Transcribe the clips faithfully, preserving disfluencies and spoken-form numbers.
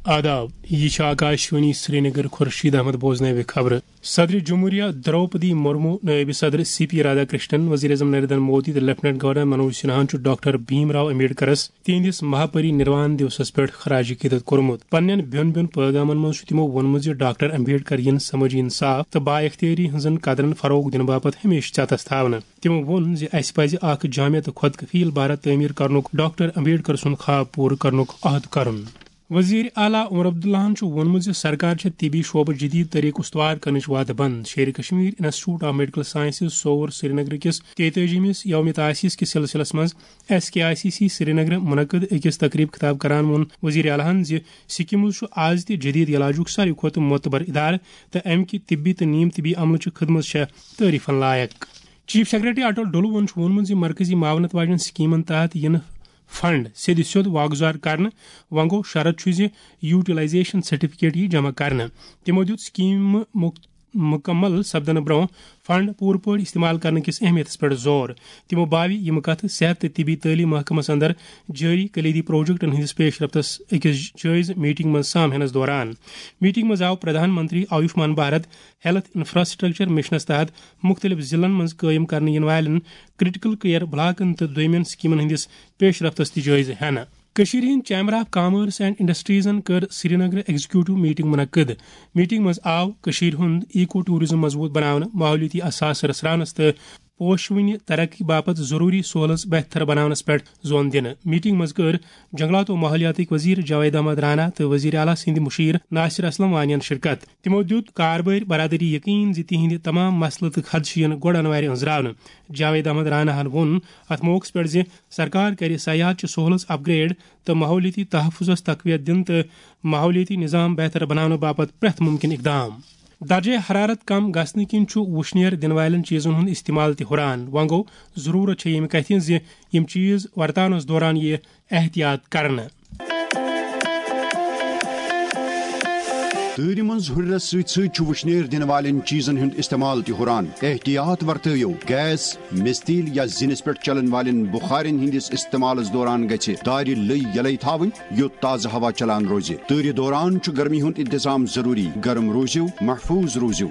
آداب، یہ چھِ آکاشوانی سرینگر۔ خورشید احمد بوزنٲوِ خبرٕ۔ صدر جمہوریہ درٛوپدی مرمو، نٲیِب صدر سی پی رادھا کرشنن، وزیر اعظم نریندر مودی تہٕ لیفٹیننٹ گورنر منوج سنہاہن چھُ ڈاکٹر بھیم راو امبیڈکرس تِہنٛدِس مہاپری نروان دیوسس پٮ۪ٹھ خراج عقیدت کوٚرمُت۔ پننٮ۪ن بیوٚن بیوٚن پٲغامن منٛز چھُ تِمو ووٚنمُت زِ ڈاکٹر امبیڈکر یِن سمٲجی انصاف تہٕ با اختیٲری ہٕنٛزن قدرن فروغ دِنہٕ باپتھ ہمیشہٕ ژٮ۪تس تھاونہٕ۔ تِمو ووٚن زِ اسہِ پزِ اکھ جامع تہٕ خۄد کفیل بھارت تعمیر کرنُک ڈاکٹر امبیڈکر سُنٛد خواب پوٗرٕ کرنُک عہد کرُن۔ وزیر اعلیٰ عمر عبداللہن چھُ ووٚنمُت زِ سرکار چھےٚ طبی شعبہٕ جدید طریقہٕ استوار کرنٕچ وعدٕ بنٛد۔ شیرِ Kashmir institute of medical sciences Soura سرینگرٕ کِس تیتٲجیمِس یوم تاسیس کِس سلسلس منٛز S K I C C سرینگرٕ منعقد أکِس تقریب خطاب کران ووٚن وزیر اعلیٰ ہن زِ سکمز چھُ آز تہِ جدید علاجُک ساروی کھۄتہٕ معتبر ادارٕ تہٕ امہِ کہِ طبی تہٕ نیم طبی عملہٕ چہِ خدمژ چھےٚ تعریفن لایق۔ چیف سیکرٹری اٹل ڈولوہن چھُ ووٚنمُت زِ مرکزی معاونت واجٮ۪ن سکیمن تحت یِنہٕ فنڈ سیٚدِ سیوٚد واگزار کرنہٕ۔ وۄنۍ گوٚو، شرط چھُ زِ یوٹیلائزیشن سرٹیفکیٹ یی جمع کرنہٕ۔ تِمو دیُت سکیمہٕ مُک-، مُکمل سپدنہٕ برٛونٛہہ فنڈ پوٗرٕ پٲٹھۍ استعمال کرنہٕ کِس اہمیتس پٮ۪ٹھ زور۔ تِمو باوِ یِم کتھٕ صحت تہٕ طبی تعلیٖم محکمس اندر جٲری کلیدی پروجیکٹن ہٕنٛدِس پیش رفتس أکِس جٲیزٕ میٹنگ منٛز سام ہینس دوران۔ میٹنگ منٛز آو Pradhan Mantri Ayushman Bharat health infrastructure missions تحت مُختٔلِف ضلعن منٛز قٲیِم کرنہٕ یِنہٕ والٮ۪ن کرٹیکل کیئر بلاکن تہٕ دوٚیمٮ۪ن سکیمن ہٕنٛدِس پیش رفتس تہِ جٲیزٕ ہینہٕ۔ کٔشیٖرِ ہٕنٛدۍ چیمبر آف کامٲرس اینڈ انڈسٹریزن کٔر سرینگرٕ ایگزیکیوٹو میٹنگ منعقد۔ میٹنگ منٛز آو کٔشیٖرِ ہُنٛد ایکو ٹورازم مضبوط بناونہٕ، ماحولیٲتی اثاثہٕ رژھراونس تہٕ پوشوٕنہِ ترقی باپتھ ضروٗری سہولژ بہتر بناونس پٮ۪ٹھ زون دِنہٕ۔ میٹنگ منٛز کٔر جنگلات و ماحولیاتٕکۍ وزیر جاوید احمد رانا تہٕ وزیر اعلیٰ سٕنٛدۍ مشیر ناصر اسلم وانین شرکت۔ تِمو دیُت کاربٲرۍ برادری یقین زِ تِہنٛدِ تمام مسلہٕ تہٕ خدشہٕ یِن گۄڈٕ انوارِ أنٛزراونہٕ۔ جاوید احمد رانا ہن ووٚن اتھ موقعس پٮ۪ٹھ زِ سرکار کرِ سیاحت چہِ سہولژ اپگریڈ تہٕ ماحولیٲتی تحفظس تقویت دِنہٕ تہٕ ماحولیٲتی نظام بہتر بناونہٕ باپتھ پرٛٮ۪تھ ممکن اقدام۔ درجہ حرارت کم گژھنہٕ کِنۍ چھُ وُشنیر دِنہٕ والٮ۪ن چیزن ہُنٛد استعمال تہِ ہُران۔ وۄنۍ گوٚو، ضروٗرت چھےٚ ییٚمہِ کتھِ ہٕنٛز زِ یِم چیز ورتاونس دوران یِیہِ احتیاط کرنہٕ۔ تۭرِ منٛز ہُرنس سۭتۍ سۭتۍ چھُ وُشنیر دِنہٕ والٮ۪ن چیزن ہُنٛد استعمال تہِ ہُران۔ احتیاط ورتٲیِو۔ گیس، مِستیٖل یا زِنِس پٮ۪ٹھ چلن والٮ۪ن بُخارٮ۪ن ہٕنٛدِس استعمالس دوران گژھِ دارِ لٔۍ یلے تھاوٕنۍ، یوٚت تازٕ ہوا چلان روزِ۔ تۭرِ دوران چھُ گرمی ہُنٛد انتظام ضروٗری۔ گرم روٗزِو، محفوٗظ روٗزِو۔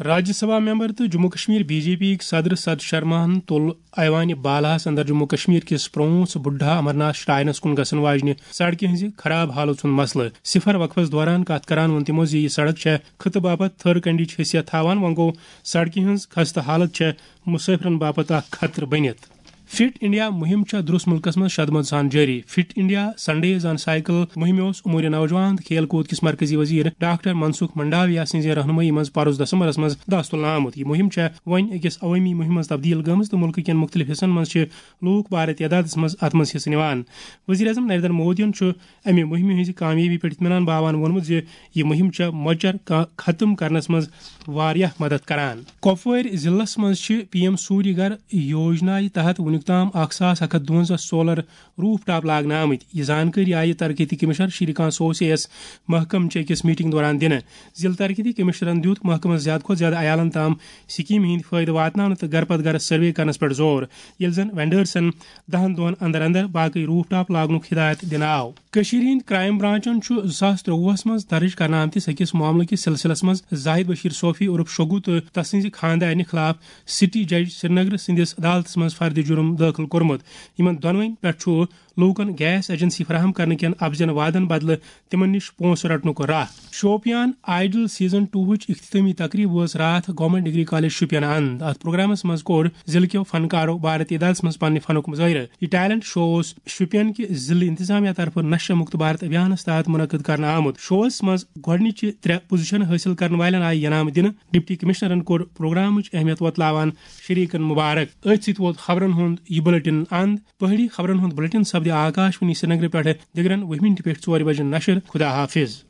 راجیہ سبھا ممبر تہٕ Jammu Kashmir B J P یِکۍ صدر ست شرماہن تُل ایوان بالاہس اندر جموں کشمیر کِس پرٛونٛژھ بُڈھا امرناتھ شراینس کُن گژھن واجنہِ سڑکہِ ہٕنٛزِ خراب حالژ ہُنٛد مسلہٕ۔ صفر وقفس دوران کتھ کران ووٚن تِمو زِ یہِ سڑک چھےٚ خطہٕ باپتھ تھٔر کنڈیچ حیثیت تھاوان۔ وۄنۍ گوٚو، سڑکہِ ہٕنٛز خستہٕ حالت چھےٚ مسافرن باپتھ اکھ خطرٕ بٔنِتھ۔ فٹ انڈیا مُہِم چھےٚ درٛوس مُلکس منٛز شدمت سان جٲری۔ فٹ انڈیا سنڈیز آن سائیکل مُہِمہِ اوس امور نوجوان تہٕ کھیل کوٗد کِس مرکزی وزیر ڈاکٹر منسکھ منڈاویا سٕنٛزِ رہنمٲیی منٛز پرُس دسمبرس منٛز دستُل آمُت۔ یہِ مُہِم چھےٚ وۄنۍ أکِس عوٲمی مُہِمہِ منٛز تبدیل گٔمٕژ تہٕ مُلکہٕ کٮ۪ن مُختٔلِف حصن منٛز چھِ لوٗکھ بارٕ تعدادس منٛز اتھ منٛز حصہٕ نِوان۔ وزیر اعظم نریندر مودیَن چھُ امہِ مُہِمہِ ہٕنٛزِ کامیٲبی پٮ۪ٹھ اطمینان باوان ووٚنمُت زِ یہِ مُہِم چھےٚ مۄچر کا-، ختم کرنس منٛز واریاہ مدد کران۔ کۄپوٲرۍ ضلعس منٛز چھِ پی ایم سوریہ گھر یوجنایہِ تحت وُنیُک تام اکھ ساس اکھ ہتھ دُوَنزاہ سولر روف ٹاپ لاگنہٕ آمٕتۍ۔ یہِ زانکٲری آیہِ ترقیتی کمشنر شری کانت سوسے یَس محکمہٕ چہِ أکِس میٹنگ دوران دِنہٕ۔ ضلع ترقیتی کمشنرن دیُت محکمس زیادٕ کھۄتہٕ زیادٕ عیالن تام سکیمہِ ہٕنٛدۍ فٲیدٕ واتناونہٕ تہٕ گرٕ پتہٕ گرس سروے کرنس پٮ۪ٹھ زور، ییٚلہِ زن وینڈرسن دَہن دۄہن اندر اندر باقٕے روف ٹاپ لاگنُک ہدایت دِنہٕ آو۔ کٔشیٖرِ ہٕنٛدۍ کرائم برانچن چھُ زٕ ساس ترٛۆوُہس منٛز درٕج کرنہٕ آمتِس أکِس معاملہٕ کِس سلسلس منٛز زاہد بشیر صوفی عرف شوگو تہٕ تسٕنزِ خاندارنہِ خلاف سٹی جج سرینگر سٕنٛدِس عدالتس منٛز فرد جرم دٲخل کوٚرمُت۔ یِمن دۄنوٕنی پٮ۪ٹھ چھُ لوٗکن گیس ایجنسی فراہم کرنہٕ کٮ۪ن اپزٮ۪ن وعدن بدلہٕ تِمن نِش پونٛسہٕ رٹنُک راہ۔ شوپیان آئیڈل سیزن ٹوہٕچ اختتٲمی تقریب وٲژ راتھ گورنمنٹ ڈگری کالج شوپین اند۔ اتھ پروگرامس منٛز کوٚر ضلعہٕ کیو فنکارو بھارت ادارس منٛز پننہِ فنُک مظٲہرٕ۔ یہِ ٹیلنٹ شو اوس شوپین کہِ ضلعہٕ انتظامیہ طرفہٕ نشہ مکت بھارت ابھیانس تحت منعقد کرنہٕ آمُت۔ شوس منٛز گۄڈٕنِچہِ ترٛےٚ پوزیشن حٲصِل کرن والٮ۪ن آیہِ انعام دِنہٕ۔ ڈپٹی کمشنرن کوٚر پروگرامٕچ اہمیت وۄتلاوان شریکن مبارک۔ أتھۍ سۭتۍ ووت خبرن ہُنٛد یہِ بلیٹن اند۔ پہٲڑی خبرن ہُنٛد بلیٹن سپدِ آکاشوانی سرینگرٕ پٮ۪ٹھٕ دِگرن وُہہِ مِنٹہِ پٮ۪ٹھ ژورِ بجہِ نشر۔ خدا حافظ۔